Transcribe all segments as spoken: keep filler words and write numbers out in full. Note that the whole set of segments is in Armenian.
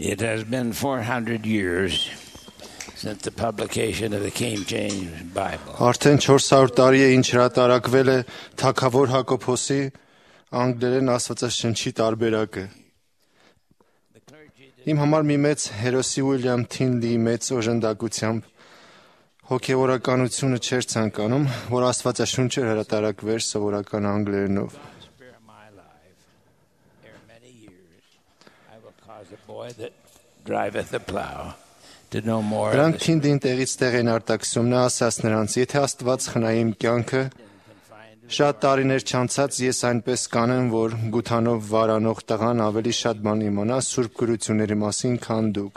It has been four hundred years since the publication of the King James Bible. Արդեն չորս հարյուր տարի է ինչ հրատարակվել է Թագավոր Հակոբոսի անգլերեն աստվածաշնչի տարբերակը։ Իմ համար մի մեծ հերոսի Ուիլյամ Թինլիի մեծ օժանդակությամբ հոգևորականությունը չէր ցանկանում, որ աստվածաշունչը հրատարակվեր սովորական անգլերենով։ Նրանք Թինլին տեղից տեղ են արտաքսում, նա ասաց նրանց, եթե Աստված խնայի իմ կյանքը, շատ տարիներ չանցած ես այնպես կանեմ, որ գութանով վարանող տղան ավելի շատ բան իմանա սուրբ գրությունների մասին, քան դուք։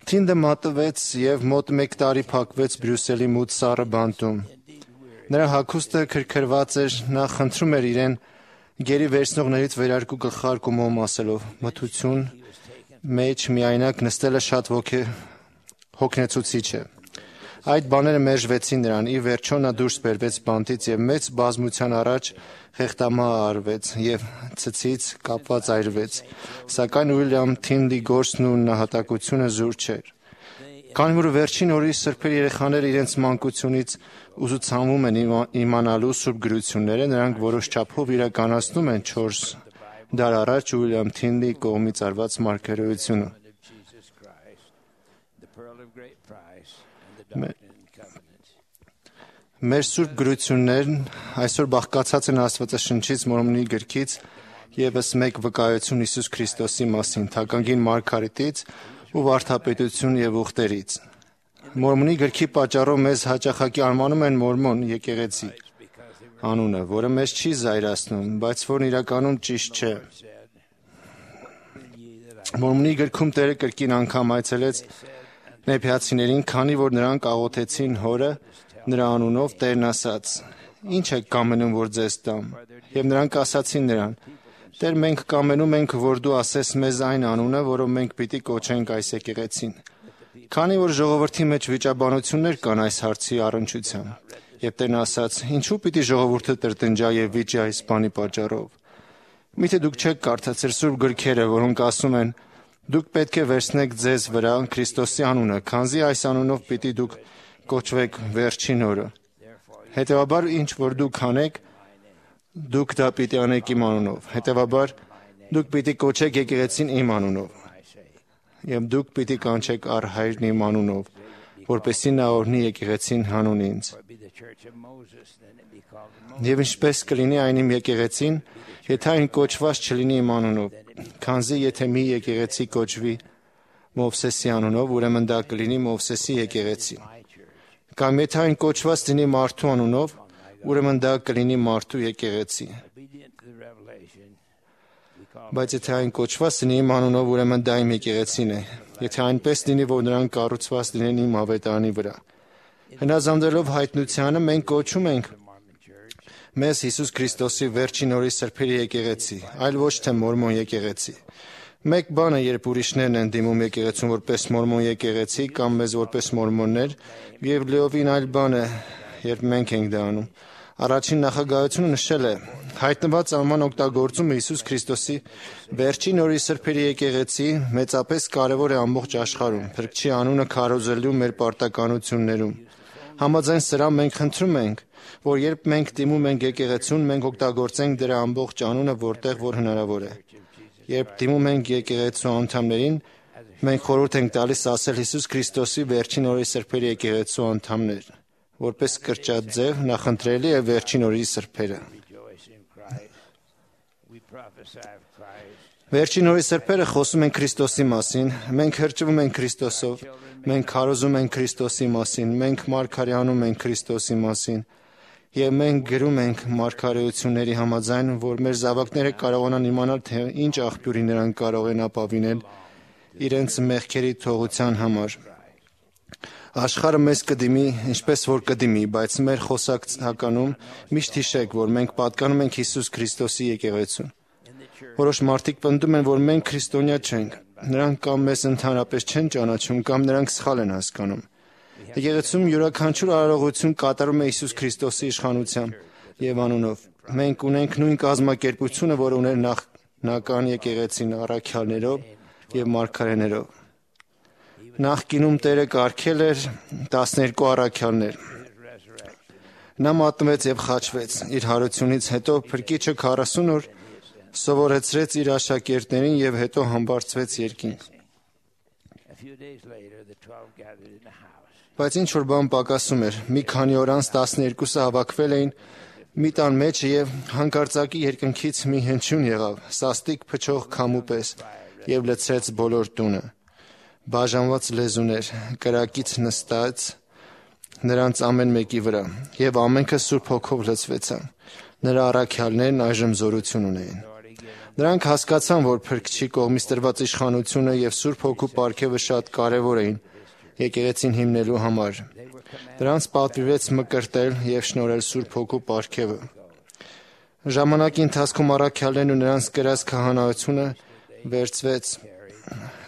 Թինդը մատվեց և մոտ մեկ տարի փակվեց Բրյուսելի մութ սառը բանտում։ Նրա հագուստը քրքրված էր, նա խնդրում էր իրեն գերի վերցնողներից վերարկու գլխարկումով ասելով. մթություն մեջ միայնակ նստելը շատ ոգե հոգնեցուցիչ է։ Այդ բաները մերժվեցին նրան, ի վերջո նա դուրս բերվեց բանտից և մեծ բազմության առաջ խեղդամահ արվեց և ցցից կապված այրվեց, սակայն Ուիլյամ Թինլի գործն ու նահատակությունը զուր չէր։ Քանի որ վերջին օրի սրբեր երեխաները իրենց մանկությունից ուսուցանվում են իմանալու սուրբ գրությունները, նրանք որոշ չափով իրականացնում են չորս դար առաջ Ուիլյամ Թինլիի կողմից արված մարգարեությունը։ Մեր սուրբ գրություններն այսօր բաղկացած են Աստվածաշնչից, Մորմոնի գրքից ևս մեկ վկայություն Հիսուս Քրիստոսի մասին, թագագին Մարգարիտից ու վարդապետություն և ուխտերից։ Մորմոնի գրքի պատճառով մեզ հաճախակի անվանում են Մորմոն եկեղեցի անունը, որը մեզ չի զայրացնում, բայց որն իրականում ճիշտ չէ։ Մորմոնի գրքում Տերը կրկին անգամ այցելեց նեփիացիներին, քանի որ նրանք աղոթեցին հորը նրա անունով, Տերն ասաց. «Ինչ եք կամենում, որ ձեզ տամ»։ Եվ նրանք ասացին նրան. «Տեր, մենք կամենում ենք, որ դու ասես մեզ այն անունը, որով մենք պիտի կոչենք այս եկեղեցին»։ Քանի որ ժողովրդի մեջ վիճաբանություններ կան այս հարցի առնչությամբ, եւ Տերն ասաց. «Ինչու պիտի ժողովուրդը տրտնջա եւ վիճի այս բանի պատճառով։ Միթե դուք չեք կարդացել սուրբ գրքերը, որոնք ասում են. դուք պետք է վերցնեք ձեզ վրա Քրիստոսի անունը, քանզի այս անունով պիտի դուք կոչվեք վերջին օրը։ Հետևաբար, ինչ որ դուք անեք, դուք դա պիտի անեք իմ անունով։ Հետևաբար, դուք պիտի կոչեք եկեղեցին իմ անունով, եւ դուք պիտի կանչեք առ Հայրն իմ անունով, որպեսզի նա օրհնի եկեղեցին հանուն ինձ։ Եվ ինչպես կլինի այն իմ եկեղեցին, եթե այն կոչված չլինի իմ անունով, քանզի եթե մի եկեղեցի կոչվի Մովսեսի անունով, ուրեմն դա կլինի Մովսեսի եկեղեցի։ Կամ եթե այն կոչված լինի մարդու անունով, ուրեմն դա կլինի մարդու եկեղեցի։ Բայց եթե այն կոչված լինի իմ անունով, ուրեմն դա իմ եկեղեցին է, եթե այնպես լինի, որ նրանք կառուցված լինեն իմ ավետարանի վրա։ Հնազանդելով հայտնությանը, մենք կոչում ենք մեզ Հիսուս Քրիստոսի վերջին օրի սրբերի եկեղեցի, այլ ոչ թե Մորմոն եկեղեցի։ Մեկ բան է, երբ ուրիշներն են դիմում եկեղեցուն որպես Մորմոն եկեղեցի կամ մեզ որպես մորմոններ, եւ լիովին այլ բան է, երբ մենք ենք դա անում։ Առաջին նախագահությունը նշել է. հայտնված անվան օգտագործումը Հիսուս Քրիստոսի վերջին օրի սրբերի եկեղեցի մեծապես կարևոր է ամբողջ աշխարհում, Փրկչի անունը քարոզելու մեր պարտականություններում։ Համաձայն սրա մենք խնդրում ենք, որ երբ մենք դիմում ենք եկեղեցուն, մենք օգտագործենք դրա ամբողջ անունը, որտեղ որ հնարավոր է։ Երբ դիմում ենք եկեղեցու անդամներին, մենք խորհուրդ ենք տալիս ասել Հիսուս Քրիստոսի վերջին օրի սրբերի եկեղեցու անդամներ, որպես կրճատ ձև նախընտրելի է վերջին օրի սրբերը։ Վերջին օրի սրբերը խոսում են Քրիստոսի մասին, մենք հրճվում ենք Քրիստոսով, մենք քարոզում ենք Քրիստոսի մասին, մենք մարգարեանում ենք Քրիստոսի մասին, եւ մենք գրում ենք մարգարեությունների համաձայն, որ մեր զավակները կարողանան իմանալ, թե ինչ աղբյուրի նրանք կարող են ապավինել իրենց մեղքերի թողության համար։ Աշխարհը մեզ կդիմի, ինչպես որ կդիմի, բայց մեր խոսակցականում միշտ հիշեք, որ մենք պատկանում ենք Հիսուս Քրիստոսի եկեղեցուն։ Որոշ մարդիկ պնդում են, որ մենք քրիստոնյա չենք, նրանք կամ մեզ ընդհանրապես չեն ճանաչում, կամ նրանք սխալ են հասկանում։ Եկեղեցում յուրաքանչյուր արարողություն կատարում է Հիսուս Քրիստոսի իշխանությամբ եւ անունով։ Մենք ունենք նույն կազմակերպությունը, որ ուներ նախնական եկեղեցին առաքյալներով, և մարգարեներով։ Նախկինում Տերը կարգել էր տասներկու առաքյալներ։ Նա մատնվեց և խաչվեց։ Իր հարությունից հետո Փրկիչը քառասուն օր սովորեցրեց իր աշակերտներին և հետո համբարձվեց երկինք։ Բայց ինչ որ բան պակասում էր։ Մի քանի օր անց տասներկուսը հավաքվել էին մի տան մեջ և հանկարծակի երկնքից մի հնչյուն եղավ, սաստիկ փչող քամու պես, և լցրեց բոլոր տունը։ Բաժանված լեզուներ կրակից նստած նրանց ամեն մեկի վրա, և ամենքը Սուրբ Հոգով լցվեցան։ Նրա առաքյալներն այժմ զորություն ունեին։ Նրանք հասկացան, որ Փրկչի կողմից տրված իշխանությունը և Սուրբ Հոգու պարգևը շատ կարևոր էին եկեղեցին հիմնելու համար։ Նրանց պատվիրվեց մկրտել և շնորհել Սուրբ Հոգու պարգևը։ Ժամանակի ընթացքում առաքյալներն ու նրանց կրած քահանայությունը վերցվեց,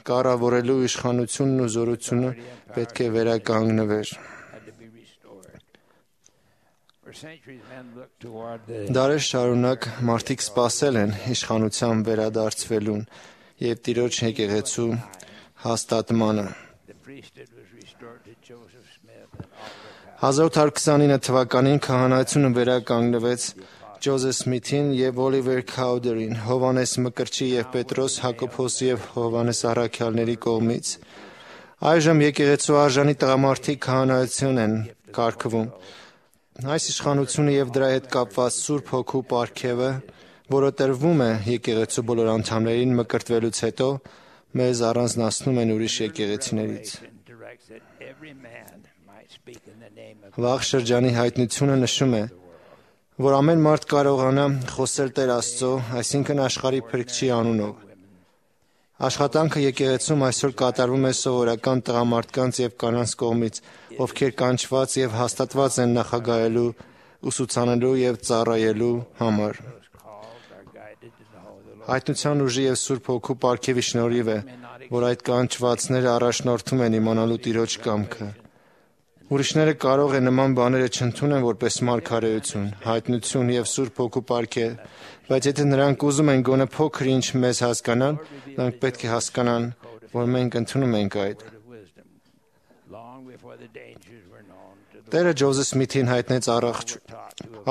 կառավարելու իշխանությունն ու զորությունը պետք է վերականգնվեր։ Դարեր շարունակ մարդիկ սպասել են իշխանության վերադարձվելուն և Տիրոջ եկեղեցու հաստատմանը։ հազար ութ հարյուր քսանինը թվականին քահանայությունը վերականգնվեց Ջոզեֆ Սմիթին և Օլիվեր Քաուդերին, Հովհաննես Մկրտչի և Պետրոս, Հակոբոսի և Հովհաննես առաքյալների կողմից։ Այժմ եկեղեցու արժանի տղամարդիկ քահանայություն են կարգվում։ Այս իշխանությունը և դրա հետ կապված Սուրբ Հոգու պարգևը, որը տրվում է եկեղեցու բոլոր անդամներին մկրտվելուց հետո, մեզ առանձնացնում են ուրիշ եկեղեցիներից։ Վաղ շրջանի հայտնությունը նշում է, որ ամեն մարդ կարողանա խոսել Տեր Աստծո, այսինքն աշխարհի Փրկչի անունով։ Աշխատանքը եկեղեցում այսօր կատարվում է սովորական տղամարդկանց և կանանց կողմից, ովքեր կանչված և հաստատված են նախագահելու, ուսուցանելու և ծառայելու համար։ Հայտնության ուժի և Սուրբ Հոգու պարգևի շնորհիվ է, որ այդ կանչվածները առաջնորդում են իմանալու Տիրոջ կամքը։ Ուրիշները կարող է նման բաները չընդունեն որպես մարգարեություն, հայտնություն և Սուրբ Հոգու պարգև, բայց եթե նրանք ուզում են գոնե փոքր ինչ մեզ հասկանալ, նրանք պետք է հասկանան, որ մենք ընդունում ենք այդ։ Տերը Ջոզեֆ Սմիթին հայտնեց առողջ,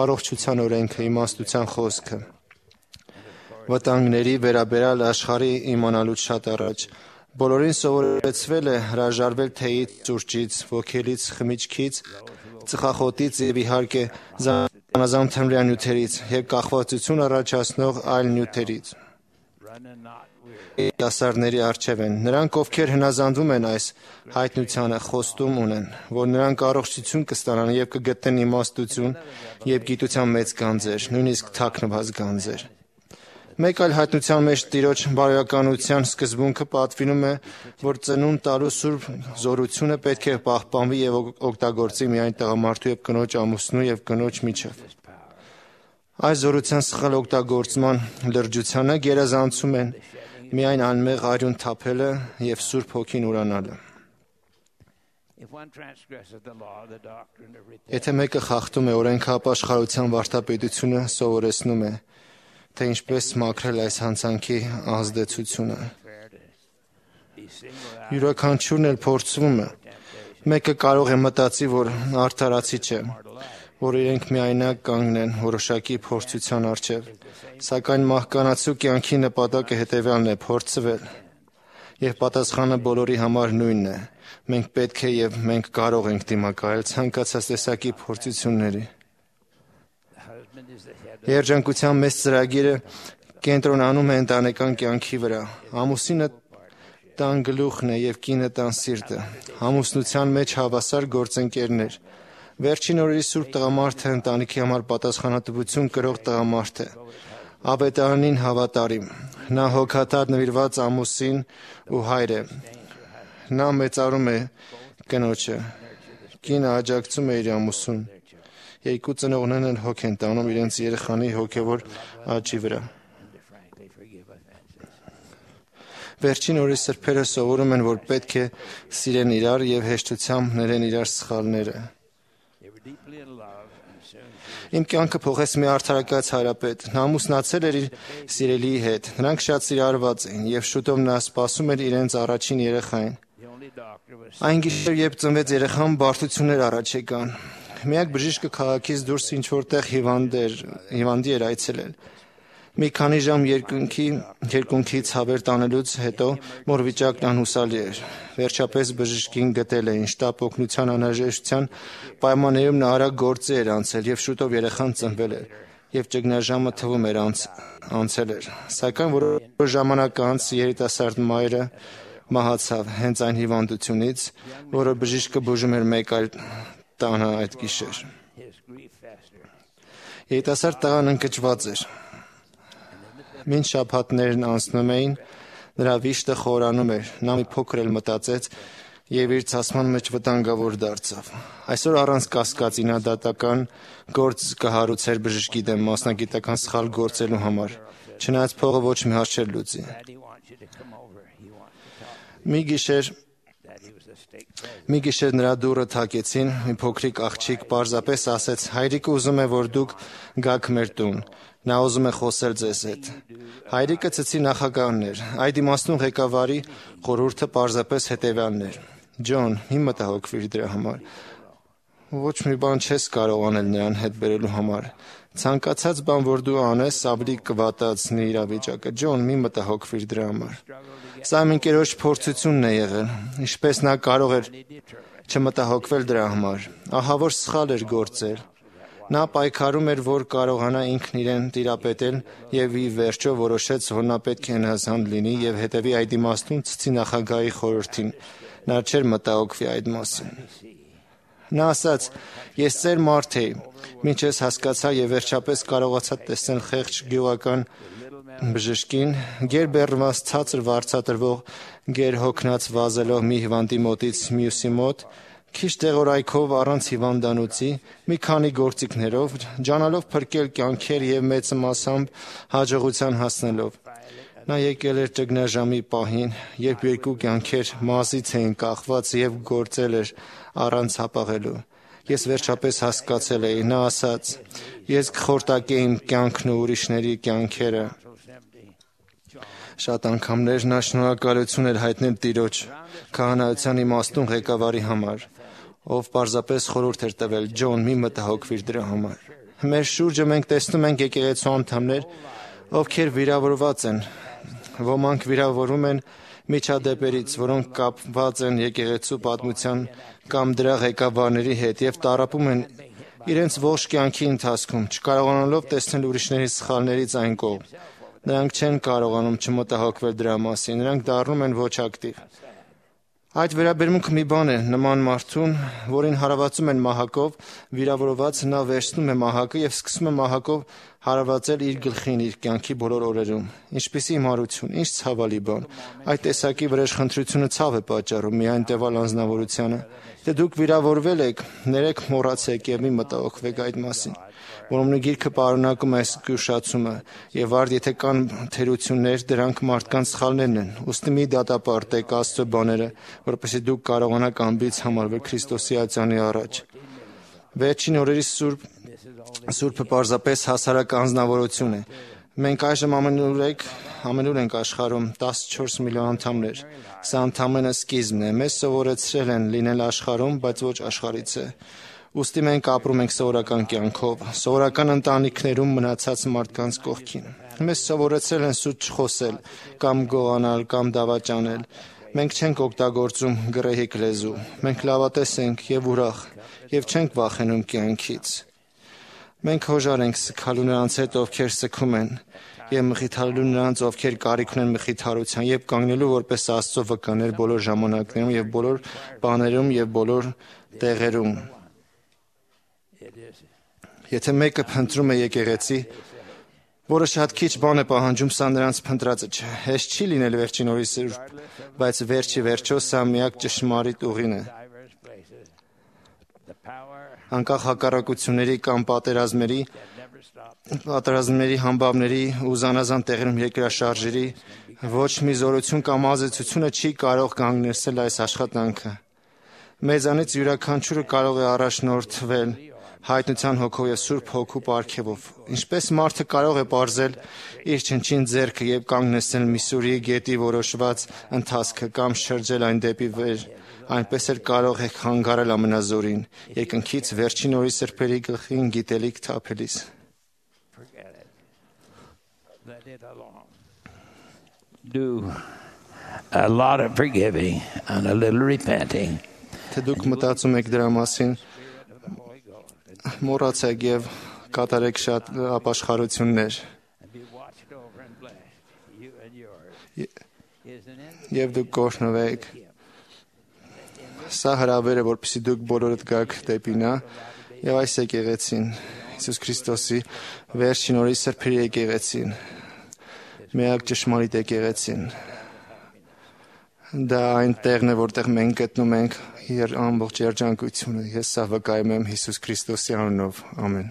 առողջության օրենքը, իմաստության խոսքը։ Վտանգների վերաբերյալ աշխարհի իմանալուց շատ առաջ բոլորին սովորեցվել է հրաժարվել թեյից, սուրճից, ոգելից, խմիչքից, ծխախոտից և իհարկե զանազան թմրյան նյութերից և կախվածություն առաջացնող այլ նյութերից։ Երիտասարդների առջև են։ Նրանք, ովքեր հնազանդվում են այս հայտնությանը, խոստում ունեն, որ նրանք առողջություն կստանան և կգտնեն իմաստություն և գիտության մեծ գանձեր, նույնիսկ թաքնված գանձեր։ Մեկ այլ հայտնության մեջ Տիրոջ բարոյականության սկզբունքը պատվիրում է, որ ծնունդ տալու սուրբ զորությունը պետք է պահպանվի և օգտագործի միայն տղամարդու և կնոջ ամուսնու և կնոջ միջև։ Այս զորության սխալ օգտագործման լրջությանը գերազանցում են միայն անմեղ արյուն թափելը և Սուրբ Հոգին ուրանալը։ Եթե մեկը խախտում է օրենքը, ապաշխարության վարդապետությունը սովորեցնում է, թե ինչպես մաքրել այս հանցանքի ազդեցությունը։ Յուրաքանչյուրն էլ փորձվում է։ Մեկը կարող է մտածի, որ արդարացի չէ, որ իրենք միայնակ կանգնեն որոշակի փորձության առջև, սակայն մահկանացու կյանքի նպատակը հետևյալն է՝ փորձվել, և պատասխանը բոլորի համար նույնն է։ Մենք պետք է և մենք կարող ենք դիմակայել ցանկացած տեսակի փորձությունների։ Երջանկության մեծ ծրագիրը կենտրոնանում է ընտանեկան կյանքի վրա։ Ամուսինը տան գլուխն է և կինը տան սիրտը։ Ամուսնության մեջ հավասար գործընկերներ։ Վերջին օրերի սուրբ տղամարդը ընտանիքի համար պատասխանատվություն կրող տղամարդ է։ Ավետարանին հավատարիմ։ Նա հոգատար նվիրված ամուսին ու հայր է։ Նա մեծարում է կնոջը։ Կինը աջակցում է իր ամուսնուն։ Երկու ծնողներն էլ հոգ են տանում իրենց երեխանի հոգևոր աճի վրա։ Վերջին օրերի սրբերը սովորում են, որ պետք է սիրեն իրար և հեշտությամբ ներեն իրար սխալները։ Իմ կյանքը փոխեց մի արդարակաց հարապետ։ Նա ամուսնացել էր իր սիրելիի հետ։ Նրանք շատ սիրառված էին եւ շուտով նա սպասում էր իրենց առաջին երեխային։ Այն գիշեր, երբ ծնվեց երեխան, բարդություններ առաջ եկան։ Միակ բժիշկը քաղաքից դուրս ինչ որտեղ հիվանդի էր այցելել։ Մի քանի ժամ երկնքի երկունքի ցավեր տանելուց հետո մոր վիճակն անհուսալի էր։ Վերջապես բժշկին գտել էին շտապ օգնության անհրաժեշտության պայմաններում նա արագ գործի էր անցել եւ շուտով երեխան ծնվել էր եւ ճգնաժամը թվում էր անց, անցել էր։ Սակայն որոշ ժամանակ անց երիտասարդ մայրը մահացավ հենց այն հիվանդությունից, որը բժիշկը բուժում էր մեկ այլ տանը այդ գիշեր։ Երիտասարդ տղան ընկճված էր։ Մինչ շաբաթներն անցնում էին, նրա վիշտը խորանում էր։ Նա մի փոքր էլ մտածեց եւ իր ցասման մեջ վտանգավոր դարձավ։ Այսօր առանց կասկածի նա դատական գործ կհարուցեր բժշկի դեմ մասնագիտական սխալ գործելու համար, չնայած փողը ոչ մի հարց չէր լուծի։ Մի գիշեր Մի գիշեր նրա դուռը թակեցին, մի փոքրիկ աղջիկ պարզապես ասեց. «Հայրիկը ուզում է, որ դուք գաք մեր տուն։ Նա ուզում է խոսել ձեզ հետ»։ Հայրիկը ծծի նախագահն էր։ Այդ իմաստուն ղեկավարի խորհուրդը պարզապես հետևյալն էր. «Ջոն, մի մտահոգվիր դրա համար։ Ոչ մի բան չես կարող անել նրան հետ բերելու համար։ Ցանկացած բան, որ դու անես, ավելի կվատացնի իրավիճակը։ Ջոն, մի մտահոգվիր դրա համար»։ Սա իմ ընկերոջ փորձությունն է եղել։ Ինչպես նա կարող էր չմտահոգվել դրա համար։ Ահա որ սխալ էր գործել։ Նա պայքարում էր, որ կարողանա ինքն իրեն տիրապետել եւ ի վերջո որոշեց, որ նա պետք է հնազանդ լինի եւ հետեւի այդ իմաստուն ցցի նախագահի խորհրդին։ Նա չէր մտահոգվի այդ մասին։ Նա ասաց. «Ես ծեր մարդ էի, մինչ ես հասկացա եւ վերջապես կարողացա տեսնել խեղճ գյուղական բժշկին, գերբեռնված ցածր վարձատրվող, գերհոգնած վազելով մի հիվանդի մոտից մյուսի մոտ, քիչ տեղորայքով առանց հիվանդանոցի, մի քանի գործիքներով, ջանալով փրկել կյանքեր եւ մեծ մասամբ հաջողության հասնելով։ Նա եկել էր ճգնաժամի պահին, երբ երկու կյանքեր մազից էին կախված եւ գործել էր առանց հապաղելու։ Ես վերջապես հասկացել էի, նա ասաց. «Ես կխորտակեի իմ կյանքն ու ուրիշների կյանքերը»։ Շատ անգամներ նա շնորհակալություն էր հայտնել Տիրոջ քահանայության իմաստուն ղեկավարի համար, ով պարզապես խորհուրդ էր տվել. «Ջոն, մի մտահոգվիր դրա համար»։ Մեր շուրջը մենք տեսնում ենք եկեղեցու անդամներ, ովքեր վիրավորված են։ Ոմանք վիրավորվում են միջադեպերից, որոնք կապված են եկեղեցու պատմության կամ դրա ղեկավարների հետ եւ տառապում են իրենց ողջ կյանքի ընթացքում, չկարողանալով տեսնել ուրիշների սխալներից այն կողմ։ Նրանք չեն կարողանում չմտահոգվել դրա մասին, նրանք դառնում են ոչ ակտիվ։ Այդ վերաբերմունքը մի բան է, նման մարդուն, որին հարվածում են մահակով, վիրավորված նա վերցնում է մահակը եւ սկսում է մահակով հարվածել իր գլխին իր կյանքի բոլոր օրերում։ Ինչպիսի հիմարություն, ինչ ցավալի բան։ Այդ տեսակի վրեժխնդրությունը ցավ է պատճառում միայն տևալ անձնավորությանը։ Եթե դուք վիրավորվել եք, ներեք մոռացեք եւ մի մտահոգվեք այդ մասին։ Որոնց գիրքը պարունակում է այս զգուշացումը եւ արդ եթե կան թերություններ, դրանք մարդկանց սխալներն են։ Ուստի մի դատապարտեք Աստծո բաները, որպեսզի դուք կարողանաք ամբից համարվել Քրիստոսի ածանի առաջ։ Վերջին օրերի սուրբ Սուրբը պարզապես հասարակ անձնավորություն է։ Մենք այժմ ամենուր ամենուր ենք աշխարհում տասնչորս միլիոն անդամներ։ Սա ընդամենը սկիզբն է։ Մեզ սովորեցրել են լինել աշխարհում, բայց ոչ աշխարհից է։ Ուստի մենք ապրում ենք սովորական կյանքով, սովորական ընտանիքներում մնացած մարդկանց կողքին։ Մեզ սովորեցրել են սուտ չխոսել, կամ գողանալ, կամ դավաճանել։ Մենք չենք օգտագործում գռեհիկ լեզու։ Մենք լավատես ենք եւ ուրախ, եւ չենք վախենում կյանքից։ Մենք հոժար ենք սգալու նրանց հետ, ովքեր սգում են, եւ մխիթարելու նրանց, ովքեր կարիք ունեն մխիթարության, եւ կանգնելու որպես Աստծո վկաներ բոլոր ժամանակներում եւ բոլոր բաներում եւ բոլոր տեղերում։ Եթե մեկը փնտրում է եկեղեցի, որը շատ քիչ բան է պահանջում, սա նրանց փնտրածը չէ։ Հեշտ չի լինել վերջին օրի սուրբ, բայց վերջի վերջո սա միակ ճշմարիտ ուղին է։ Անկախ հակառակությունների կամ պատերազմների, պատերազմների համբավների ու զանազան տեղերում երկրաշարժերի ոչ մի զորություն կամ ազդեցությունը չի կարող կանգնեցնել այս աշխատանքը։ Մեզանից յուրաքանչյուրը կարող է առաջնորդվել հայտնության հոգով եւ Սուրբ Հոգու պարգևով։ Ինչպես մարդը կարող է բարձել իր չնչին ձեռքը եւ կանգնեցնել մի սուրի գետի որոշված ընթացքը կամ շրջել այն դեպի վեր, այնպես էլ կարող է խանգարել ամենազորին երկնքից վերջին օրի սրբերի գլխին գիտելիք թափելիս։ Do a lot of forgiving and a little repenting. Թե դուք մտածում եք դրա մասին, մոռացեք եւ կատարեք շատ ապաշխարություններ։ Եվ դուք կօրհնվեք։ Սա հրավեր է, որպեսզի դուք բոլորդ գաք դեպի նա եւ այս եկեղեցին, Հիսուս Քրիստոսի վերջին օրի սրբերի եկեղեցին, միակ ճշմարիտ եկեղեցին։ Դա այն տեղն է, որտեղ մենք գտնում ենք իր ամբողջ երջանկությունը։ Ես սա վկայում եմ Հիսուս Քրիստոսի անունով։ Ամեն։